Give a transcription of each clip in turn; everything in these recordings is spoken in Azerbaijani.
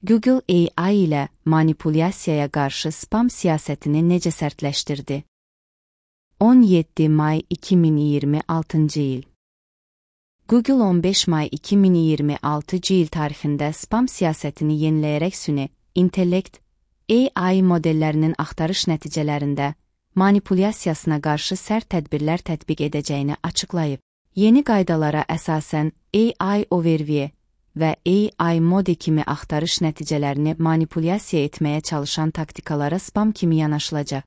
Google AI ilə manipulyasiyaya qarşı spam siyasətini necə sərtləşdirdi? 17 may 2026-cı il. Google 15 may 2026-cı il tarixində spam siyasətini yeniləyərək süni intellekt AI modellərinin axtarış nəticələrində manipulyasiyasına qarşı sərt tədbirlər tətbiq edəcəyini açıqlayıb. Yeni qaydalara əsasən AI Overview və AI Mode kimi axtarış nəticələrini manipulyasiya etməyə çalışan taktikalara spam kimi yanaşılacaq.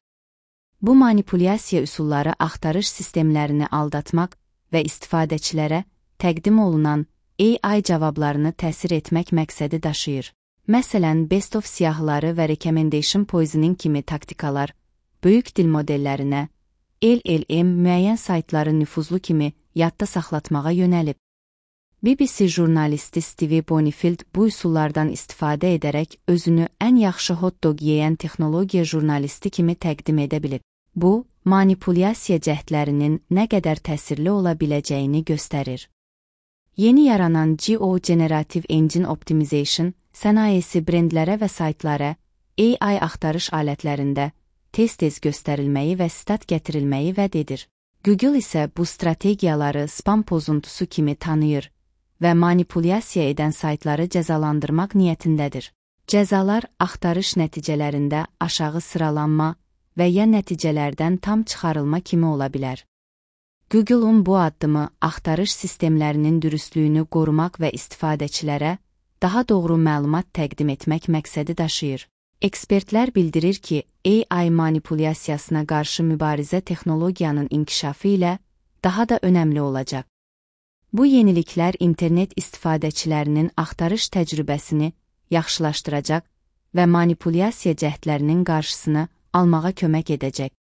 Bu manipulyasiya üsulları axtarış sistemlərini aldatmaq və istifadəçilərə təqdim olunan AI cavablarını təsir etmək məqsədi daşıyır. Məsələn, Best of siyahıları və Recommendation Poisoning kimi taktikalar böyük dil modellərinə, LLM müəyyən saytları nüfuzlu kimi yadda saxlatmağa yönəlib. BBC jurnalisti Steve Bonifield bu üsullardan istifadə edərək özünü ən yaxşı hot-dog yeyən texnologiya jurnalisti kimi təqdim edə bilib. Bu, manipulyasiya cəhdlərinin nə qədər təsirli ola biləcəyini göstərir. Yeni yaranan GO Generative Engine Optimization sənayesi brendlərə və saytlara AI axtarış alətlərində tez-tez göstərilməyi və stat gətirilməyi vəd edir. Google isə bu strategiyaları spam pozuntusu kimi tanıyır və manipulyasiya edən saytları cəzalandırmaq niyyətindədir. Cəzalar axtarış nəticələrində aşağı sıralanma və ya nəticələrdən tam çıxarılma kimi ola bilər. Google'un bu addımı axtarış sistemlərinin dürüstlüyünü qorumaq və istifadəçilərə daha doğru məlumat təqdim etmək məqsədi daşıyır. Ekspertlər bildirir ki, AI manipulyasiyasına qarşı mübarizə texnologiyanın inkişafı ilə daha da önəmli olacaq. Bu yeniliklər internet istifadəçilərinin axtarış təcrübəsini yaxşılaşdıracaq və manipulyasiya cəhdlərinin qarşısını almağa kömək edəcək.